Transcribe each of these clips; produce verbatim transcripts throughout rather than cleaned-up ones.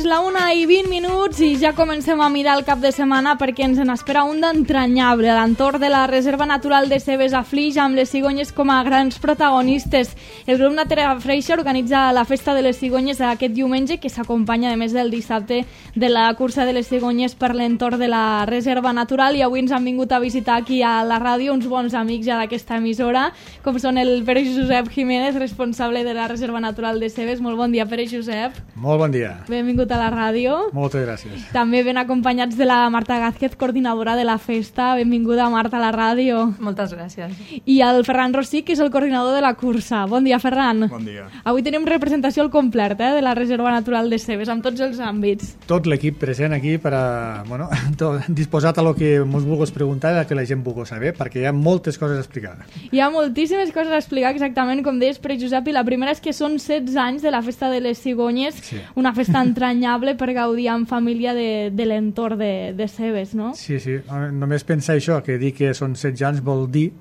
la una i vint minuts i ja comencem a mirar el cap de setmana perquè ens n'espera un d'entranyable. A l'entorn de la Reserva Natural de Cebes a Flix, amb les cigonyes com a grans protagonistes. El grup Natera Freixa organitza la Festa de les Cigonyes aquest diumenge, que s'acompanya, a més del dissabte, de la cursa de les cigonyes per l'entorn de la Reserva Natural. I avui ens han vingut a visitar aquí a la ràdio uns bons amics ja d'aquesta emissora, com són el Pere Josep Jiménez, responsable de la Reserva Natural de Cebes. Molt bon dia, Pere Josep. Molt bon dia. Benvingut a la ràdio. Moltes gràcies. També ben acompanyats de la Marta Gázquez, coordinadora de la festa. Benvinguda, Marta, a la ràdio. Moltes gràcies. I el Ferran Rossí, que és el coordinador de la cursa. Bon dia, Ferran. Bon dia. Avui tenim representació al complet eh, de la Reserva Natural de Cebes, amb tots els àmbits. Tot l'equip present aquí per a, bueno, tot, disposat a lo que ens vulguis preguntar i a que la gent vulgui saber, perquè hi ha moltes coses a explicar. Hi ha moltíssimes coses a explicar, exactament com deies, Pere Josep, i la primera és que són setze anys de la Festa de les Cigonyes, sí. Una festa entranyable per gaudir en família de, de l'entorn de, de Cebes, no? Sí, sí. Només pensar això, que dir que són setze anys vol dir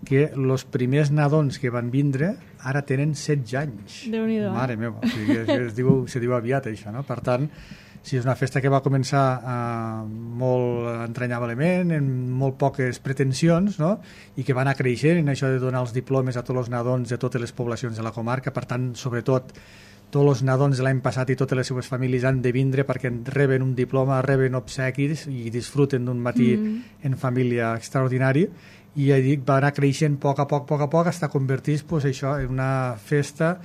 que els primers nadons que van vindre ara tenen setze anys. Déu-n'hi-do. Mare meva, o sigui, es, es, diu, se diu aviat això, no? Per tant, sí, és una festa que va començar uh, molt entranyablement, amb molt poques pretensions, no? I que va anar creixent en això de donar els diplomes a tots els nadons de totes les poblacions de la comarca. Per tant, sobretot, tots els nadons de l'any passat i totes les seves famílies han de vindre perquè reben un diploma, reben obsequis i disfruten d'un matí mm. en família extraordinari. I ja dic, va anar creixent a poc a poc, a poc a poc, fins a convertir-se pues, això en una festa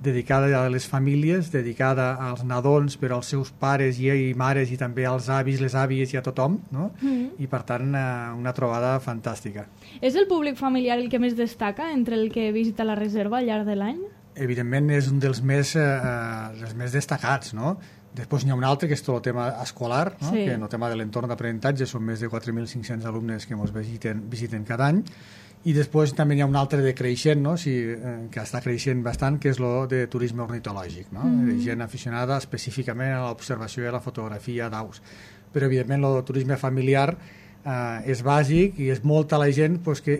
dedicada a les famílies, dedicada als nadons, però als seus pares i, i mares i també als avis, les àvies i a tothom, no? Mm. I per tant una, una trobada fantàstica. És el públic familiar el que més destaca entre el que visita la reserva al llarg de l'any? Evidentment és un dels més, eh, els més destacats, no? Després n'hi ha un altre que és tot el tema escolar, no? Sí. Que en el tema de l'entorn d'aprenentatge són més de quatre mil cinc-cents alumnes que ens visiten, visiten cada any. I després també hi ha un altre de creixent, no? Sí, eh, que està creixent bastant, que és el de turisme ornitològic, no? Mm. Gent aficionada específicament a l'observació i a la fotografia d'aus. Però evidentment el turisme familiar Uh, és bàsic i és molta la gent pues, que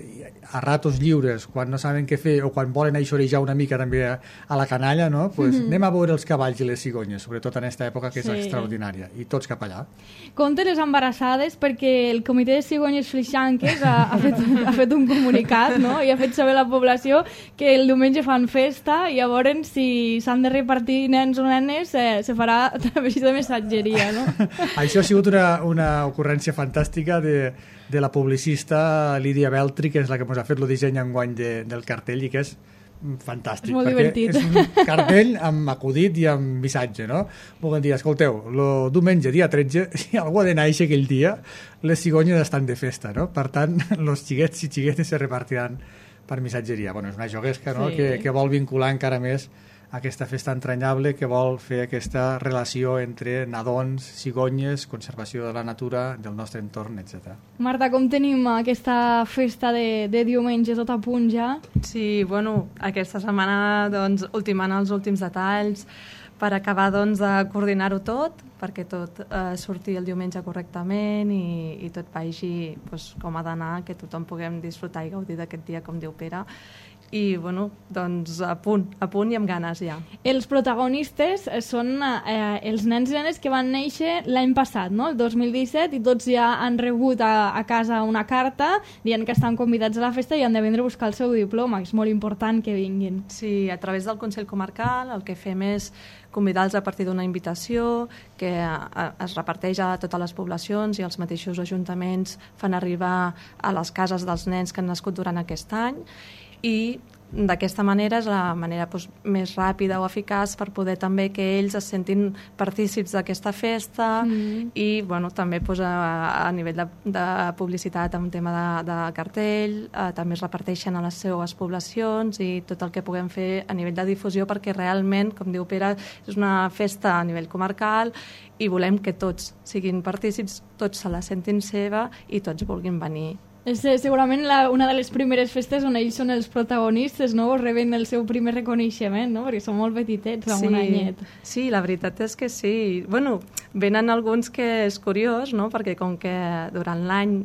a ratos lliures, quan no saben què fer o quan volen aixorejar una mica també a, a la canalla, no? Pues, mm-hmm. anem a veure els cavalls i les cigonyes, sobretot en aquesta època que és sí. extraordinària, i tots cap allà. Compte les embarassades, perquè el Comitè de Cigonyes Flixanques ha, ha, fet, ha fet un comunicat, no? I ha fet saber a la població que el diumenge fan festa i llavors si s'han de repartir nens o nenes eh, se farà a través de missatgeria, no? Això ha sigut una, una ocurrència fantàstica de De, de la publicista Lídia Beltri, que és la que ens ha fet el disseny enguany de, del cartell i que és fantàstic. És molt divertit. És un cartell amb acudit i amb missatge, no? Volem dir, escolteu, el diumenge, dia tretze, si algú ha de néixer aquell dia, les cigonyes estan de festa, no? Per tant, els xiquets i xiquetes se repartiran per missatgeria. Bueno, és una joguesca, no? Sí. Que, que vol vincular encara més aquesta festa entranyable, que vol fer aquesta relació entre nadons, cigonyes, conservació de la natura, del nostre entorn, etcètera. Marta, com tenim aquesta festa de, de diumenge tot a punt ja? Sí, bueno, aquesta setmana doncs, ultimant els últims detalls per acabar doncs, de coordinar-ho tot, perquè tot eh, surti el diumenge correctament i, i tot vagi doncs, com ha d'anar, que tothom puguem disfrutar i gaudir d'aquest dia, com diu Pere. I, bueno, doncs a punt, a punt i amb ganes ja. Els protagonistes són eh, els nens i nenes que van néixer l'any passat, no? El dos mil disset, i tots ja han rebut a, a casa una carta dient que estan convidats a la festa i han de vindre a buscar el seu diploma, que és molt important que vinguin. Sí, a través del Consell Comarcal el que fem és convidar-los a partir d'una invitació que es reparteix a totes les poblacions i els mateixos ajuntaments fan arribar a les cases dels nens que han nascut durant aquest any, i d'aquesta manera és la manera doncs, més ràpida o eficaç per poder també que ells es sentin partícips d'aquesta festa mm. i bueno, també doncs, a, a nivell de, de publicitat en tema de, de cartell eh, també es reparteixen a les seues poblacions i tot el que puguem fer a nivell de difusió, perquè realment, com diu Pere, és una festa a nivell comarcal i volem que tots siguin partícips, tots se la sentin seva i tots vulguin venir. És segurament la, una de les primeres festes on ells són els protagonistes, no? O reben el seu primer reconeixement, no? Perquè són molt petitets, amb sí, un anyet. Sí, la veritat és que sí. Bueno, venen alguns que és curiós, no? Perquè com que durant l'any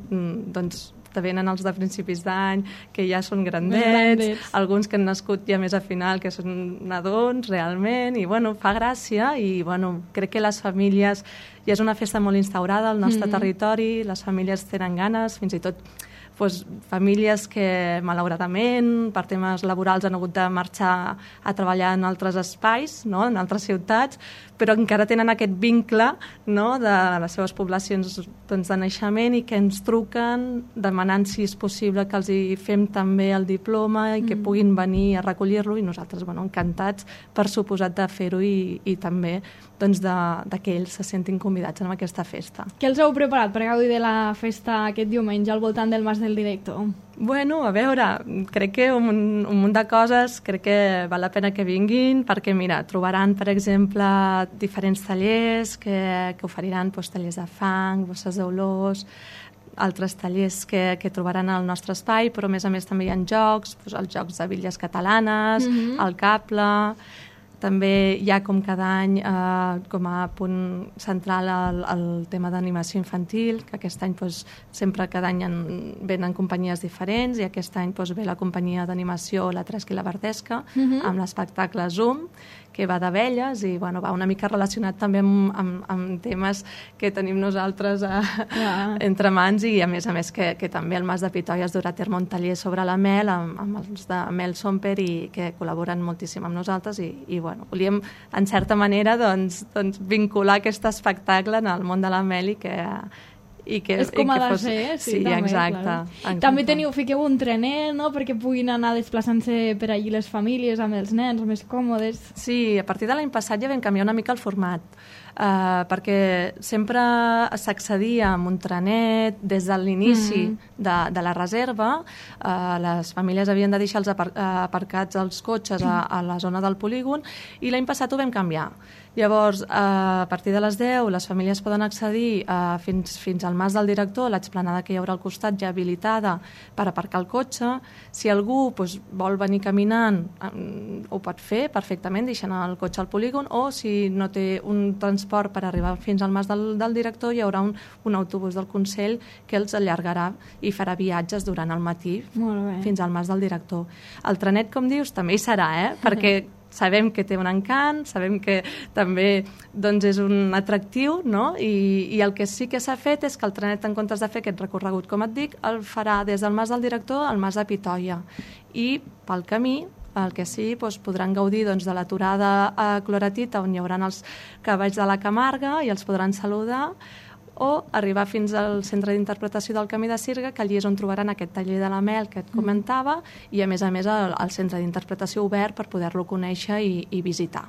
doncs, te venen els de principis d'any, que ja són grandets, grandets, alguns que han nascut ja més a final, que són nadons, realment, i bueno, fa gràcia, i bueno, crec que les famílies, ja és una festa molt instaurada al nostre mm-hmm. territori, les famílies tenen ganes, fins i tot pues, famílies que malauradament per temes laborals han hagut de marxar a treballar en altres espais, no? En altres ciutats, però encara tenen aquest vincle, no? De les seves poblacions doncs, de naixement, i que ens truquen demanant si és possible que els hi fem també el diploma i que mm. puguin venir a recollir-lo, i nosaltres bueno, encantats per suposat de fer-ho, i, i també doncs, de, de que ells se sentin convidats en aquesta festa. Què els heu preparat per gaudir de la festa aquest diumenge al voltant del Mas del Director? Bueno, a veure, crec que un, un munt de coses, crec que val la pena que vinguin, perquè mira, trobaran, per exemple, diferents tallers que, que oferiran pues, tallers de fang, bosses d'olors, altres tallers que, que trobaran al nostre espai, però a més a més també hi ha jocs, pues, els jocs de bitlles catalanes, mm-hmm. el cable. També hi ha, com cada any, eh, com a punt central el, el tema d'animació infantil, que aquest any doncs, sempre cada any en, venen companyies diferents, i aquest any doncs, ve la companyia d'animació La Tresca i la Verdesca, mm-hmm. amb l'espectacle Zoom, que va d'abelles, i bueno, va una mica relacionat també amb, amb, amb temes que tenim nosaltres a, yeah. entre mans, i a més a més que, que també el Mas de Pitoia es durà a terme un taller sobre la mel amb, amb els de Mel Somper, i que col·laboren moltíssim amb nosaltres, i, i bueno, volíem en certa manera doncs, doncs, vincular aquest espectacle en el món de la mel, i que i que, és com i ha que de fos... ser, sí, sí també, exacte, exacte. També teniu, fiqueu un trenet, no?, perquè puguin anar desplaçant-se per allí les famílies amb els nens, més còmodes. Sí, a partir de l'any passat ja vam canviar una mica el format, uh, perquè sempre s'accedia amb un trenet des de l'inici mm. de, de la reserva. Uh, les famílies havien de deixar els apar aparcats els cotxes a, a la zona del polígon, i l'any passat ho vam canviar. Llavors, a partir de les deu, les famílies poden accedir uh, fins, fins al Mas del Director, l'explanada que hi haurà al costat ja habilitada per aparcar el cotxe. Si algú doncs, vol venir caminant, um, ho pot fer perfectament, deixant el cotxe al polígon, o si no té un transport per arribar fins al Mas del, del Director, hi haurà un, un autobús del Consell que els allargarà i farà viatges durant el matí fins al Mas del Director. El trenet, com dius, també hi serà, eh? perquè sabem que té un encant, sabem que també doncs, és un atractiu, no? I, i el que sí que s'ha fet és que el trenet, en comptes de fer aquest recorregut, com et dic, el farà des del Mas del Director al Mas de Pitoia. I pel camí, el que sí, doncs, podran gaudir doncs, de l'aturada a Cloretita, on hi haurà els cavalls de la Camarga i els podran saludar, o arribar fins al Centre d'Interpretació del Camí de Sirga, que allí és on trobaran aquest taller de la mel que et comentava, i a més a més el, el Centre d'Interpretació obert per poder-lo conèixer i, i visitar.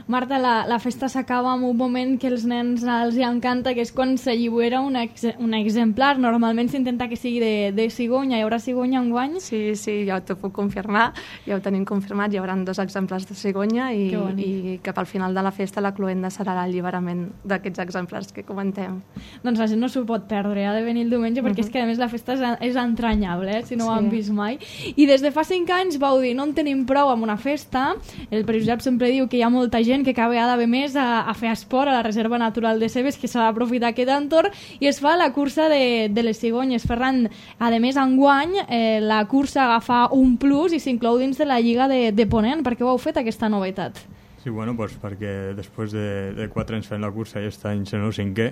Marta, la, la festa s'acaba amb un moment que els nens els hi encanta, que és quan s'allibera un, ex, un exemplar. Normalment s'intenta que sigui de, de cigonya. Hi haurà cigonya enguany? Sí, sí, ja t'ho puc confirmar. Ja ho tenim confirmat. Hi haurà dos exemplars de cigonya, i, i cap al final de la festa la cloenda serà l'alliberament d'aquests exemplars que comentem. Doncs la gent no s'ho pot perdre, ha de venir el diumenge, perquè uh-huh. és que a més la festa és, és entranyable, eh, si no sí. ho han vist mai. I des de fa cinc anys vau dir, no en tenim prou amb una festa. El Pere Josep sempre diu que hi ha molta gent que cada vegada ve més a, a fer esport a la Reserva Natural de Cebes, que s'ha d'aprofitar aquest entorn, i es fa la cursa de, de les cigonyes. Ferran, a més, enguany eh, la cursa agafa un plus i s'inclou dins de la Lliga de, de Ponent. Per què ho heu fet, aquesta novetat? Sí, bueno, pues perquè després de, de quatre anys fent la cursa i aquest any sent el cinquè,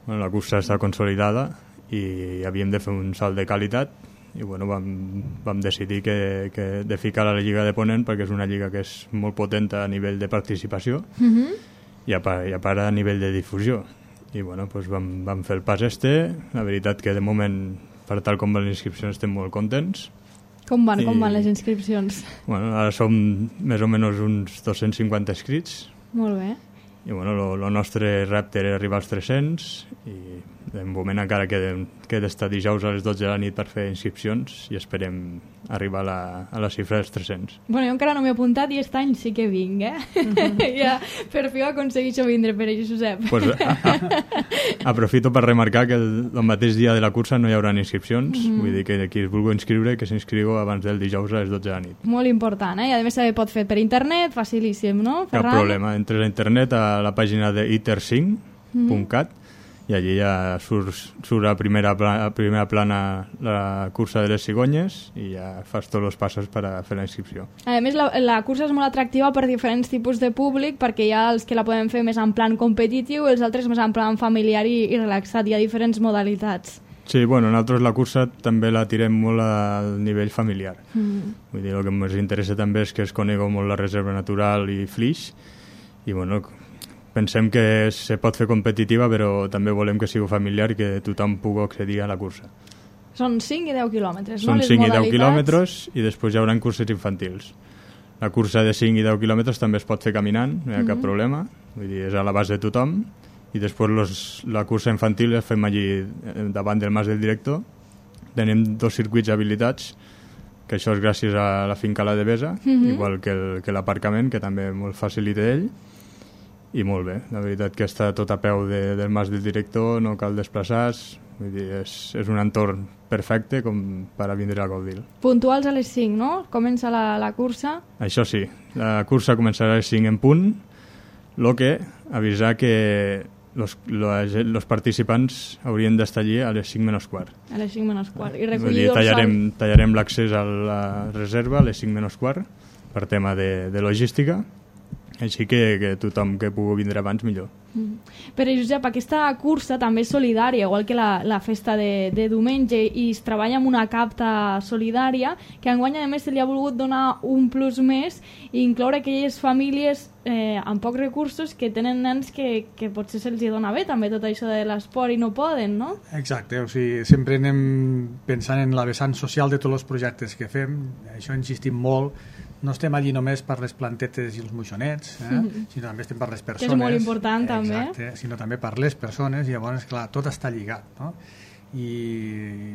bueno, la cursa està consolidada i havíem de fer un salt de qualitat, i bueno, vam, vam decidir que, que de ficar a la Lliga de Ponent, perquè és una lliga que és molt potent a nivell de participació mm-hmm. i, a part, i a part a nivell de difusió. I bueno, pues vam, vam fer el pas este. La veritat que de moment, per tal com van les inscripcions, estem molt contents. Com van, I, com van les inscripcions? Bueno, ara som més o menys uns dos-cents cinquanta inscrits. Molt bé. I bueno, el nostre repte era arribar als tres-cents, i de moment encara queda, queda estar dijous a les dotze de la nit per fer inscripcions, i esperem arribar a la, a la xifra dels tres-cents. Bueno, jo encara no m'he apuntat i aquest any sí que vinc, eh? Mm-hmm. Ja, per fi ho aconsegueixo vindre, Pere Josep. Pues, a, a, aprofito per remarcar que el, el mateix dia de la cursa no hi haurà inscripcions, mm-hmm. vull dir que qui es vulgui inscriure, que s'inscriu abans del dijous a les dotze de la nit. Molt important, eh? I a més se pot fer per internet, facilíssim, no, Ferran? Cap problema, entres a internet a la pàgina de iter cinc punt cat mm-hmm. i allí ja surt, surt a, primera plana, a primera plana la cursa de les cigonyes i ja fas tots els passos per a fer la inscripció. A més, la, la cursa és molt atractiva per diferents tipus de públic, perquè hi ha els que la poden fer més en plan competitiu i els altres més en plan familiar i, i relaxat. Hi ha diferents modalitats. Sí, bueno, nosaltres la cursa també la tirem molt al nivell familiar. Mm. Vull dir, el que ens interessa també és que es conegui molt la reserva natural i Flix, i bueno, pensem que se pot fer competitiva, però també volem que sigui familiar i que tothom pugui accedir a la cursa. Són cinc i deu quilòmetres, no? Són les cinc i modalitats? deu quilòmetres i després hi haurà curses infantils. La cursa de cinc i deu quilòmetres també es pot fer caminant, no hi ha mm-hmm. cap problema, vull dir, és a l'abast de tothom, i després los, la cursa infantil la fem allí davant del Mas del Director. Tenim dos circuits habilitats, que això és gràcies a la finca La Devesa, mm-hmm. igual que, el, que l'aparcament, que també molt facilita ell. I molt bé, la veritat que està tot a peu de, del Mas del Director, no cal desplaçar-se, vull dir, és, és un entorn perfecte com per a vindre a gaudir. Puntuals a les cinc, no? Comença la, la cursa? Això sí, la cursa començarà a les cinc en punt, el que avisar que los, los, los participants haurien d'estar allí a les cinc menys quart. A les cinc menys quart. I vull dir, tallarem, tallarem l'accés a la reserva a les cinc menys quart per tema de, de logística, així que, que tothom que pugui vindre abans millor. Mm. Però Josep, aquesta cursa també és solidària, igual que la, la festa de, de diumenge, i es treballa amb una capta solidària que enguany a més se li ha volgut donar un plus més i incloure aquelles famílies eh, amb pocs recursos que tenen nens que, que potser se'ls dona bé també tot això de l'esport i no poden, no? Exacte, o sigui, sempre anem pensant en la vessant social de tots els projectes que fem, això insistim molt. No estem allí només per les plantetes i els moixonets, eh? Mm-hmm. sinó també estem per les persones. Que és molt important, també. Exacte, sinó també per les persones, i llavors, clar, tot està lligat, no? I,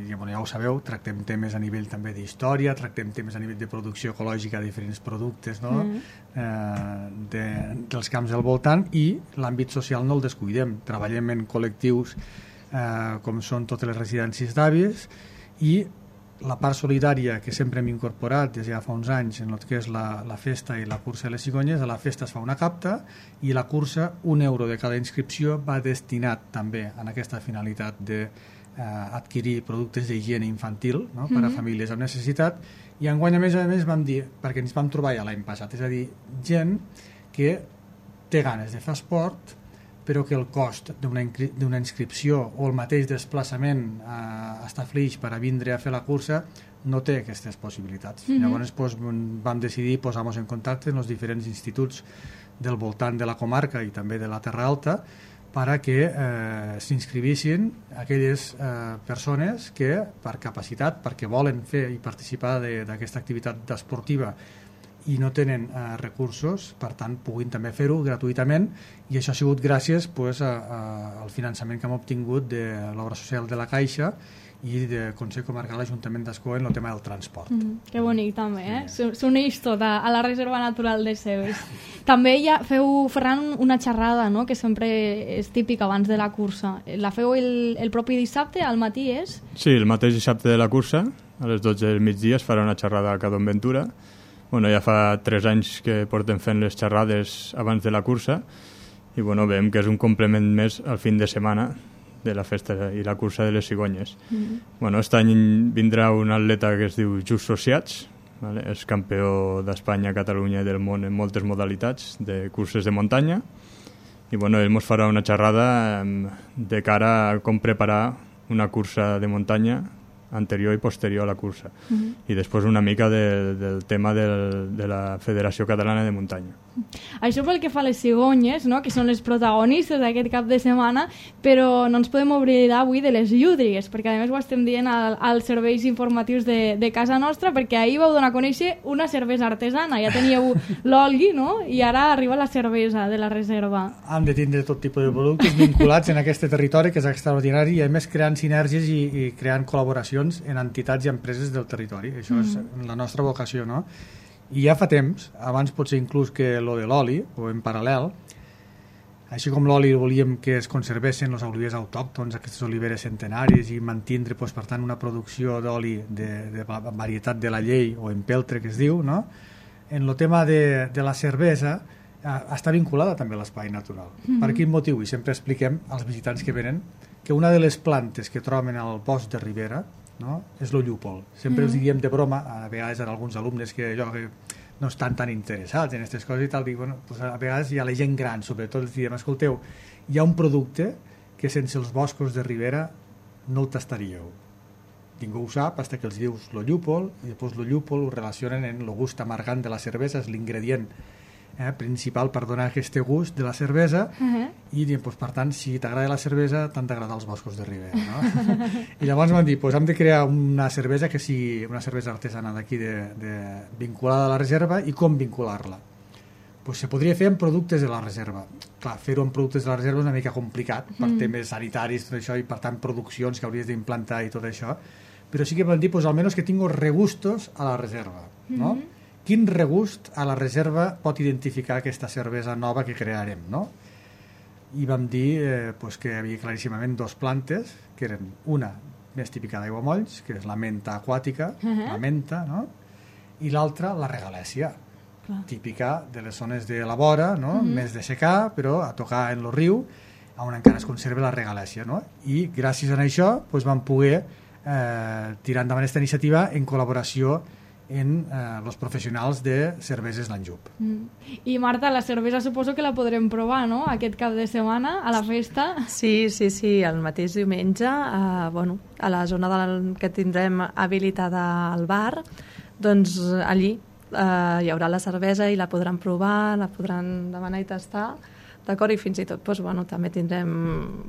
i bueno, ja ho sabeu, tractem temes a nivell també d'història, tractem temes a nivell de producció ecològica de diferents productes, no? Mm. eh, de, dels camps del voltant, i l'àmbit social no el descuidem. Treballem en col·lectius eh, com són totes les residències d'avis, i la part solidària que sempre hem incorporat des de ja fa uns anys en el que és la, la festa i la cursa de les cigonyes. A la festa es fa una capta i la cursa, un euro de cada inscripció va destinat també a aquesta finalitat d'adquirir eh, productes d'higiene infantil, no? per a mm-hmm. famílies amb necessitat. I enguany a més a més vam dir, perquè ens vam trobar ja l'any passat, és a dir, gent que té ganes de fer esport però que el cost d'una d'una inscripció o el mateix desplaçament a Estaflix per a vindre a fer la cursa no té aquestes possibilitats. Mm-hmm. Llavors pues, vam decidir posar-nos en contacte amb els diferents instituts del voltant de la comarca i també de la Terra Alta per a que eh, s'inscrivissin aquelles eh, persones que per capacitat, perquè volen fer i participar d'aquesta activitat esportiva i no tenen eh, recursos, per tant puguin també fer-ho gratuïtament, i això ha sigut gràcies pues, a, a, al finançament que hem obtingut de l'obra social de la Caixa i del Consell Comarcal Ajuntament d'Escó en el tema del transport. Mm, que bonic també, eh? S'uneix tot a, a la Reserva Natural de Cebes. També ja feu, Ferran, una xerrada, no?, que sempre és típica abans de la cursa. La feu el, el propi dissabte, al matí, és? Sí, el mateix dissabte de la cursa, a les dotze del migdia, es farà una xerrada a Cadon Ventura. Bueno, ja fa tres anys que portem fent les xerrades abans de la cursa i bueno, veiem que és un complement més al fin de setmana de la festa i la cursa de les cigonyes. Mm-hmm. Bueno, aquest any vindrà un atleta que es diu Just Sociats, vale? És campió d'Espanya, Catalunya i del món en moltes modalitats de curses de muntanya, i bueno, ell ens farà una xerrada de cara a com preparar una cursa de muntanya anterior i posterior a la cursa. Uh-huh. I després una mica de, del tema del, de la Federació Catalana de Muntanya. Això pel que fa a les cigonyes, no?, que són les protagonistes d'aquest cap de setmana, però no ens podem oblidar avui de les llúdrigues, perquè a més ho estem dient al, als serveis informatius de, de casa nostra, perquè ahir vau donar a conèixer una cervesa artesana. Ja teníeu l'oli, no?, i ara arriba la cervesa de la reserva. Hem de tindre tot tipus de productes vinculats en aquest territori, que és extraordinari, i a més creant sinergies i, i creant col·laboracions en entitats i empreses del territori. Això mm. és la nostra vocació, no? I ja fa temps, abans potser inclús que lo de l'oli, o en paral·lel, així com l'oli volíem que es conservessin els olivers autòctons, aquestes oliveres centenaris, i mantindre, doncs, per tant, una producció d'oli de, de varietat de la llei, o empeltre, que es diu, no? En el tema de, de la cervesa, està vinculada també a l'espai natural. Mm-hmm. Per quin motiu? I sempre expliquem als visitants que venen que una de les plantes que troben al bosc de Ribera, no?, és el llúpol. Sempre mm-hmm. us diem de broma, a vegades en alguns alumnes que jo que no estan tan interessats en aquestes coses i tal, dic, bueno, pues a vegades hi ha la gent gran, sobretot els diem, escolteu, hi ha un producte que sense els boscos de Ribera no el tastaríeu. Ningú ho sap, fins que els dius el llúpol, i després el llúpol ho relacionen en el gust amargant de la cervesa, és l'ingredient eh, principal per donar aquest gust de la cervesa, uh-huh. i doncs, per tant, si t'agrada la cervesa, t'han d'agradar els boscos de Ribera, no? I llavors m'han dit, pues, hem de crear una cervesa que sigui una cervesa artesana d'aquí de, de, vinculada a la reserva, i com vincular-la? Pues se podria fer amb productes de la reserva. Clar, fer-ho amb productes de la reserva és una mica complicat per mm. temes sanitaris, tot això, i per tant produccions que hauries d'implantar i tot això, però sí que vam dir, pues, almenys que tingo regustos a la reserva, no? Mm-hmm. Quin regust a la reserva pot identificar aquesta cervesa nova que crearem, no? I vam dir eh, pues, que hi havia claríssimament dos plantes, que eren una més típica d'aiguamolls, que és la menta aquàtica, uh-huh. la menta, no? I l'altra, la regalèsia, clar. Típica de les zones de la vora, no? Uh-huh. Més de secar, però a tocar en el riu, on encara es conserva la regalèsia, no? I gràcies a això pues, vam poder eh, tirar endavant aquesta iniciativa en col·laboració en eh, los professionals de cerveses l'Anjup. Mm. I Marta, la cervesa suposo que la podrem provar, no?, aquest cap de setmana a la festa. Sí, sí, sí, el mateix diumenge, eh, bueno, a la zona del, que tindrem habilitada al bar, doncs allí eh, hi haurà la cervesa i la podran provar, la podran demanar i tastar, d'acord? I fins i tot, doncs, bueno, també tindrem,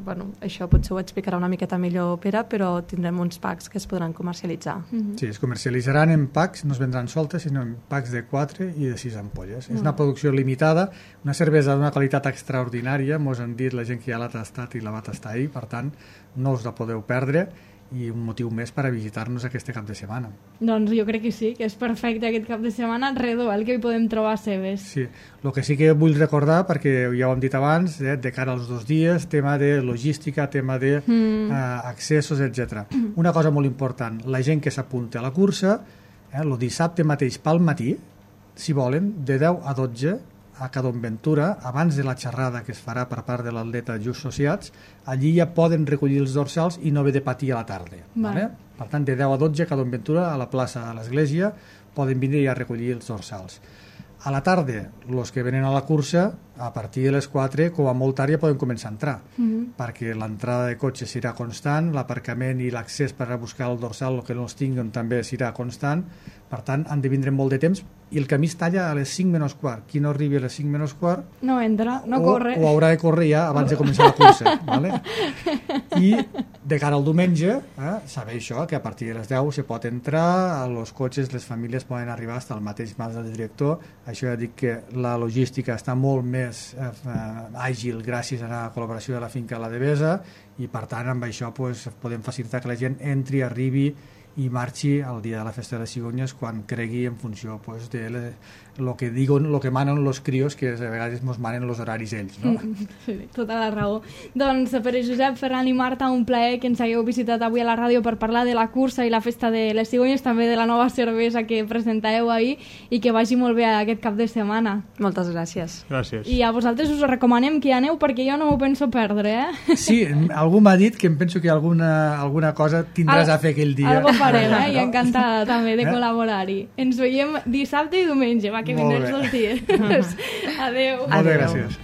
bueno, això potser ho explicarà una miqueta millor Pere, però tindrem uns packs que es podran comercialitzar. Mm-hmm. Sí, es comercialitzaran en packs, no es vendran soltes, sinó en packs de quatre i de sis ampolles. Mm. És una producció limitada, una cervesa d'una qualitat extraordinària, mos han dit la gent que ja l'ha tastat i la va tastar ahir, per tant, no us la podeu perdre, i un motiu més per a visitar-nos aquest cap de setmana. Doncs jo crec que sí, que és perfecte aquest cap de setmana, redó, el que hi podem trobar a Cebes. Sí, el que sí que vull recordar, perquè ja ho hem dit abans, eh, de cara als dos dies, tema de logística, tema de mm. eh, accessos, etcètera. Mm. Una cosa molt important, la gent que s'apunta a la cursa, eh, el dissabte mateix pel matí, si volen, de deu a dotze, a Cadonventura, abans de la xerrada que es farà per part de l'atleta Just Sociats, allí ja poden recollir els dorsals i no haver de patir a la tarda. Vale. Per tant, de deu a dotze a Cadonventura, a la plaça de l'església, poden vindre a recollir els dorsals. A la tarda, els que venen a la cursa, a partir de les quatre, com a molt tard ja poden començar a entrar, mm-hmm. perquè l'entrada de cotxes serà constant, l'aparcament i l'accés per a buscar el dorsal, el que no els tinguen, també serà constant. Per tant, han de vindre molt de temps, i el camí es talla a les cinc menys quart. Qui no arribi a les cinc menys quart no entra, no o, corre. O haurà de córrer ja abans de començar la cursa. Vale? I de cara al diumenge, eh, sabeu això, que a partir de les deu se pot entrar, els cotxes, les famílies poden arribar fins al mateix mas del director. Això ja dic que la logística està molt més eh, àgil gràcies a la col·laboració de la finca La Devesa, i per tant amb això pues, podem facilitar que la gent entri, arribi i marxi el dia de la festa de les cigonyes quan cregui en funció pues, de le, lo que diuen, lo que manen los crios, que a vegades mos manen los horaris ells, no? Sí, tota la raó. Doncs per Josep, Ferran i Marta, un plaer que ens hagueu visitat avui a la ràdio per parlar de la cursa i la festa de les cigonyes, també de la nova cervesa que presentàveu ahir, i que vagi molt bé aquest cap de setmana. Moltes gràcies. Gràcies. I a vosaltres us recomanem que hi aneu perquè jo no m'ho penso perdre, eh? Sí, algú m'ha dit que em penso que alguna, alguna cosa tindràs Al, a fer aquell dia. Algo farem, eh? I encantada també de col·laborar-hi. Ens veiem dissabte i diumenge, va, que vindrem els dies. Adéu. Molt bé, gràcies.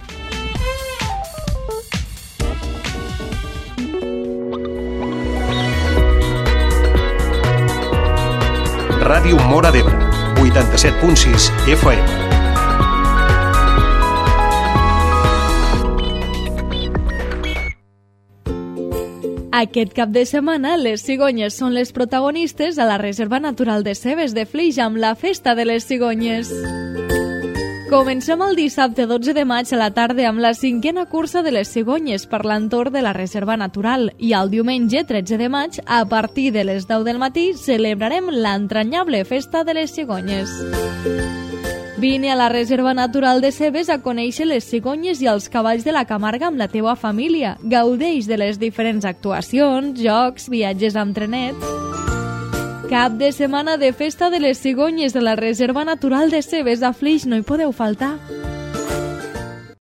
Ràdio Móra d'Ebre, vuitanta-set punt sis F M. Aquest cap de setmana, les cigonyes són les protagonistes a la Reserva Natural de Cebes de Flix amb la Festa de les Cigonyes. Comencem el dissabte dotze de maig a la tarda amb la cinquena cursa de les cigonyes per l'entorn de la Reserva Natural, i el diumenge tretze de maig, a partir de les deu del matí, celebrarem l'entranyable Festa de les Cigonyes. Vine a la Reserva Natural de Cebes a conèixer les cigonyes i els cavalls de la Camarga amb la teua família. Gaudeix de les diferents actuacions, jocs, viatges amb trenet. Cap de setmana de Festa de les Cigonyes de la Reserva Natural de Cebes a Flix, no hi podeu faltar.